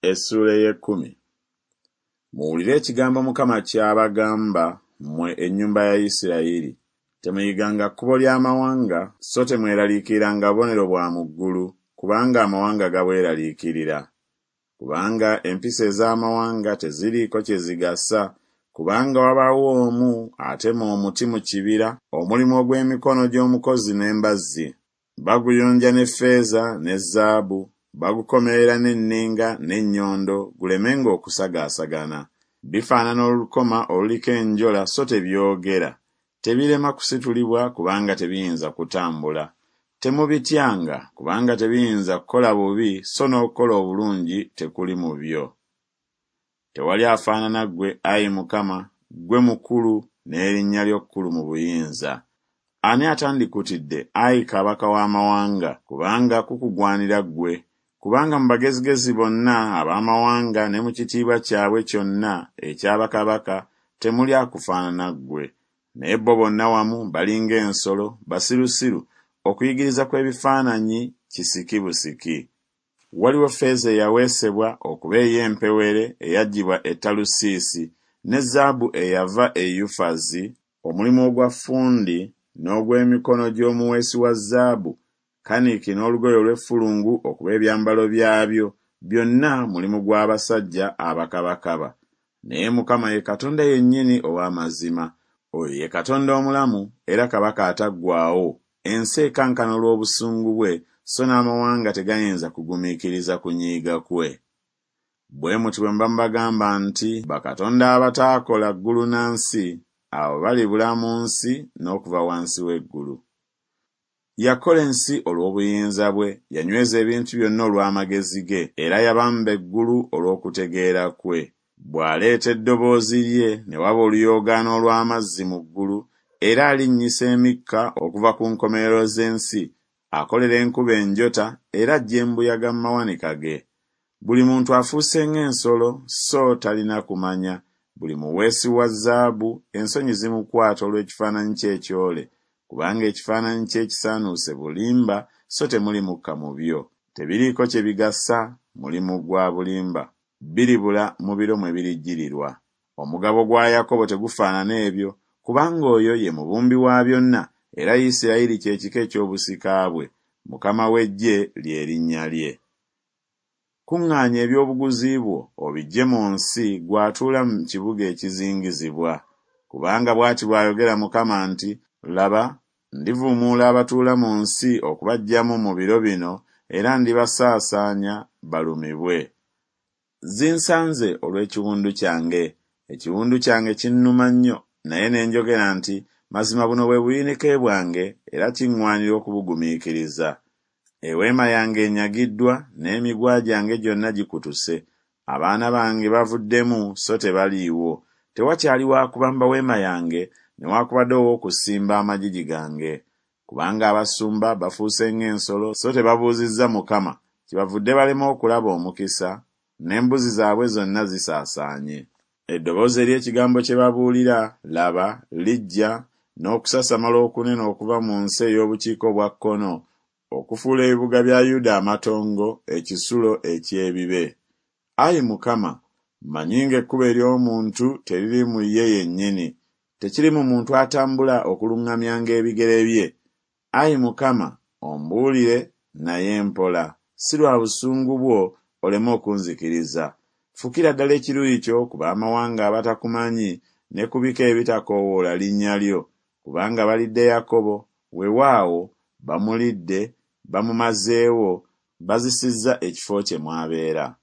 Essuula ey'ekkumi. Muwulire ekigambo Mukama ky'abagamba, mmwe ennyumba ya Isirayiri. Temuyiganga kkubo ly'amawanga, so temweraliikiriranga bubonero bwa mu ggulu, kubanga amawanga gabweraliikirira. Kubanga empisa ez'amawanga teziriiko kye zigasa, kubanga wabaawo omu atema omuti mu kibira, omulimu ogw'emikono gy'omukozi n'embazzi. Baguyonja ne ffeeza ne zaabu, bagukomerera n'enninga n'ennyondo, gulemenga okusagaasagana. Bifaanana olukoma oluliko enjola so tebyogera. Tebirema kusitulibwa kubanga tebiyinza kutambula. Temubityanga, kubanga tebiyinza kukola bubi so n'okukola obulungi tekuli mu byo. Tewali afaanana ggwe, ayi Mukama, ggwe mukulu, n'erinnya lyo kkulu mu buyinza. Ani atandikutidde, ayi Kabaka w'amawanga, kubanga kukugwanira ggwe, kubanga mu bagezigezi bonna ab'amawanga ne mu kitiibwa kyabwe kyonna ekya bakabaka temuli akufaanana ggwe. Naye bo bonna wamu bali ng'ensolo, basirusiru, okuyigiriza kw'ebifaananyi kisiki busiki. Waliwo ffeeza eyaweesebwa okuba ey'empewere eyaggyibwa e Talusiisi, ne zaabu eyava e Yufazi, omulimu ogwa ffundi n'ogw'emikono gy'omuweesi wa zaabu, kaniki n'olugoye olw'effulungu okuba ebyambalo byabyo, byonna mulimu gw'abasajja abakabakaba. Naye Mukama ye Katonda yennyini ow'amazima, oyo ye Katonda omulamu era Kabaka ataggwaawo, ensi ekankana olw'obusungu bwe, so n'amawanga tegayinza kugumiikiriza kunyiiga kwe. Bwe muti bwe muba mubagamba nti, Bakatonda abataakola ggulu na nsi, abo balibula mu nsi n'okuva wansi w'eggulu. Yakola ensi olw'obuyinza bwe, yanyweza ebintu byonna olw'amagezi ge, era yabamba eggulu olw'okutegeera kwe. Bw'aleeta eddoboozi lye, ne waba oluyoogaano olw'amazzi mu ggulu, era alinnyisa emikka okuva ku nkomerero z'ensi, akolera enkuba enjota, era aggya embuyaga mu mawanika ge. Buli muntu afuuse ng'ensolo, so talina kumanya, buli muweesi wa zaabu ensonyi zimukwata olw'ekifaananyi kye ekyole, kubanga ekifaananyi kye ekisaanuuse bulimba, so temuli mukka mu byo. Tebiriiko kye bigasa, mulimu gwa bulimba, biribula mu biro mwe birijjirirwa. Omugabo gwa Yakobo tegufaanana ebyo, kubanga oyo ye mubumbi wa byonna, era Isirayiri kye kika eky'obusika bwe, Mukama w'eggye lye linnya lye. Kuŋŋaanya eby'obuguzi bwo obiggye mu nsi, ggwe atuula mu kibuga ekizingizibwa. Kubanga bw'ati bw'ayogera Mukama nti, Laba, ndivuumuula abatuula mu nsi okubaggyamu mu biro bino, era ndibasaasaanya balumibwe. Zinsanze olw'ekiwundu kyange! Ekiwundu kyange kinnuma nnyo, naye ne njogera nti, Mazima buno bwe buyinike bwange, era kiŋŋwanira okubugumiikiriza. Eweema yange enyagiddwa, n'emiguwa gyange gyonna gikutuse. Abaana bange bavuddemu so tebaliiwo. Tewakyali wa kubamba weema yange, newakubadde ow'okusimba amagigi gange. Kubanga abasumba bafuuse ng'ensolo, so tebabuuzizza Mukama, kyebavudde balema okulaba omukisa, n'embuzi zaabwe zonna zisaasaanye. Eddoboozi ery'ekigambo kye babuulira, laba, lijja n'okusasamala okunene okuva mu nsi ey'obukiika obwa kkono, okufuula ebibuga bya Yuda amatongo, ekisulo eky'ebibe. Ayi Mukama, mmanyi ng'ekkubo ery'omuntu teriri mu ye yennyini, tekiri mu muntu atambula okuluŋŋamyanga ebigere bye. Ayi Mukama, ombuulire, naye mpola, si lwa busungu bwo, oleme okunzikiriza. Fukira ddala ekiruyi kyo ku b'amawanga abatakumanyi, ne ku bika ebitakoowoola linnya lyo, kubanga balidde Yakobo, weewaawo, bamulidde, bamumazeewo, bazisizza ekifo kye mw'abeera.